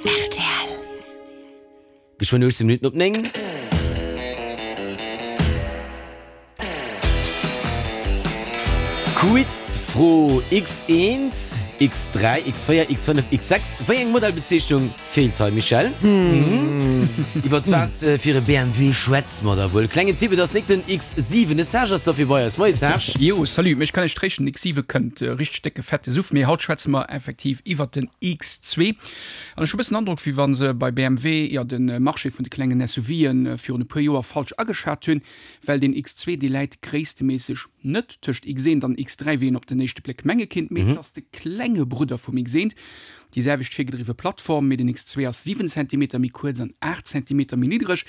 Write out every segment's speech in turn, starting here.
Rtl. Geschwënn 18 Minutten op 9. Quizfro, X1, X3, X4, X5, X6, wéi eng Modellbezeechnung feelt hei, Michèle? Iwwert wat fir e BMW schwätze mer da wuel? Klengen Tipp, et ass nik den X7. De Serge ass derfir bei eis. Moie Serge. Jo, salut. Mech kann ech tréischten, den X7 kënnt. Richteg décke fette Suff. Mee haut schwätze mer effektiv iwwert den X2. An ech hu bëssen den Androck, wéi wa se bei BMW jo de Marché vun de klengen SUVe virun e puer Joer falsch ageschat hunn. Well deen X2, dee läit gréissteméisseg net tëscht X1 an X3, wéi een op den éischte Bléck menge kinnt, mee et ass de klenge Brudder vum X1. Déi selwecht virgedriwwe Plattform, mee den X2 ass 7 Zentimeter méi kuerz an 8 Zentimeter méi niddreg.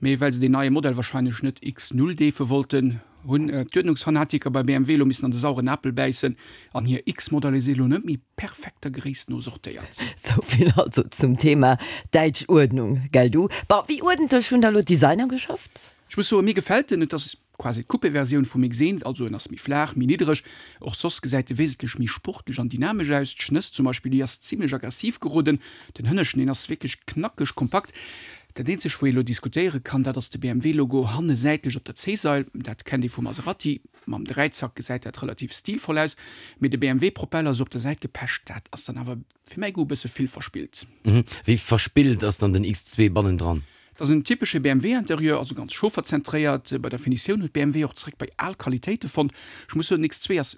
Mee well se deen neie Modell warscheinlech net X0 deefe wollten, hunn d'Uerdnungsfanatiker bei BMW elo missen an de sauren Apel bäissen an hir X-Modeller si elo net méi perfekt der Gréisst no sortéiert. Sou vill also zum Thema däitsch Uerdnung, gell du? Bon, wéi uerdentlech hunn da elo d'Designer geschafft? Ech muss soen, mir gefält en. Et ass quasi d'Coupé-Versioun vum X1, also en ass méi flaach, méi niddreg. Och soss gesäit e wesentlech méi sportlech an dynamesch aus. D'Schnëss zum Beispill, déi ass zimlech aggressiv geroden. Den Hënneschten, deen ass wierklech knackeg kompakt. Dat eenzegt, wou ee elo diskutéiere kann, dat ass de BMW-Logo hanne säitlech op der C-Sail. Dat kennt ee vum Maserati. Mam Dräizack gesäit dat relativ stilvoll aus, mee de BMW-Propeller esou op der Säit gepecht, dat ass dann awer fir mäi Goût e bësse vill verspillt. Wéi verspillt ass dann den X2 bannendran? Et ass en typesche BMW-Interieur, also ganz chaufferzentréiert. Bei der Finitioun huet BMW och zeréck bei al Qualitéite fonnt. Ech muss soen, den X2 ass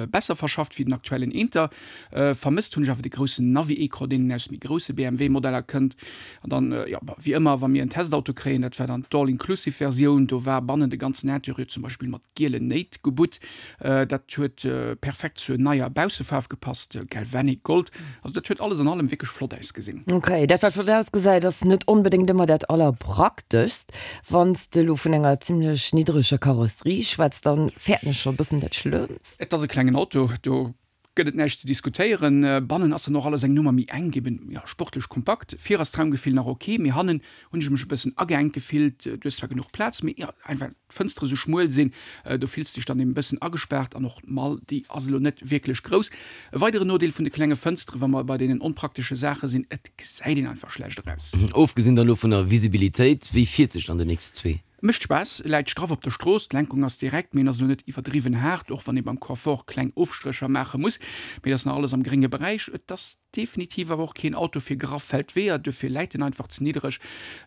besser verschafft wéi den aktuellen Inter. Vermësst hunn ech awer de groussen Navi-Ecran, deen een aus méi grousse BMW-Modeller kënnt. An dann, jo, wéi ëmmer, wa mir en Testauto kréien, dat war dann d'All-Inclusive-Versioun, do war bannen de ganzen Interieur zum Beispill mat gielen Néit gebutt. Dat huet perfekt zur neier Baussefaarf gepasst, Galvanic Gold. Also dat huet alles an allem wierklech flott ausgesinn. Ok, dat wat flott ausgesäit ass net onbedéngt ëmmer dat allerprakteschst. Wann s de elo vun enger zimlech niddreger Karosserie schwätz, dann fäerten ech scho e bëssen dat Schlëmmst. Et ass e klengen Auto, do gëtt et näischt ze diskutéieren. Bannen ass dann och alles eng Nummer méi enk, eben jo sportlech kompakt. Vir ass d'Raumgefill nach ok, mee hannen hunn ech mech e bëssen ageengt gefillt. Du hues zwar genuch Plaz, mee jo einfach d'Fënstere sou schmuel sinn, do fills de dech dann eben e bëssen agespaart. An och d'Mall, déi ass elo net wierklech grouss. E weideren Nodeel vun de klenge Fënstere, wa mer bei deenen onpraktesche Saache sinn, et gesäit een einfach schlecht eraus. Ofgesinn dann elo vun der Visibilitéit, wéi fiert sech dann den X2? Mécht Spaass, läit straff op der Strooss, d'Lenkung ass direkt, mee en ass elo net iwwerdriwwen haart, och wann ee beim Confort kleng Ofstrécher maache muss, mee et ass nach alles am grénge Beräich. Et ass definitiv awer och keen Auto fir graff Feldweeër, duerfir läit en einfach ze niddereg.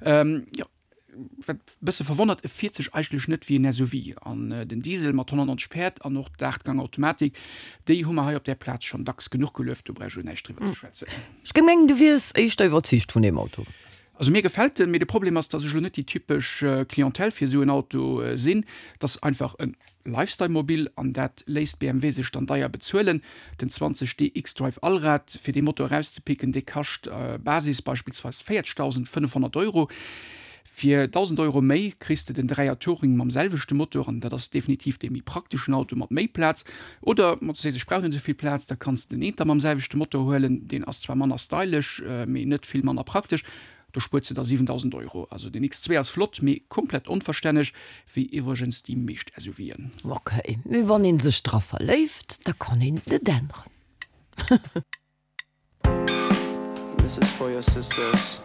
Jo, wat e bësse verwonnert, e fiert sech eigentlech net wéi en SUV. An den Diesel mat 190 Päerd an och d'Aachtgang-Automatik, déi hu mer hei op där Plaz schonn dacks genuch gelueft, do brauch ech elo näischt driwwer ze schwätzen. Ech géing mengen, du wiers éischter iwwerzeegt vun deem Auto. Also mir gefält en, mee de Problem ass, dass ech elo net déi typesch Clientèle fir esou en Auto sinn. Et ass einfach e Lifestyle-Mobil an dat léisst BMW sech dann deier bezuelen. Den 20 D xDrive Allrad, fir dee Motor erauszepicken, dee kascht Basis beispillsweis 40.500 Euro. Fir 1.000 Euro méi kriss de den Dräier Touring mam selwechte Motor an dat ass definitiv dee méi prakteschen Auto mat méi Plaz. Oder ma du sees ech brauch net esou vill Plaz, da kanns de den Eenter mam selwechte Motor huelen, deen ass zwar manner stylesch, mee net vill manner praktesch. Do spuert se der 7.000 Euro. Also den X2 ass flott, mee komplett onverstänneg, wéi iwwregens déi meescht SUVen. Ok, mee wann een sech dra verléift, da kann een et net änneren. This is for your sisters.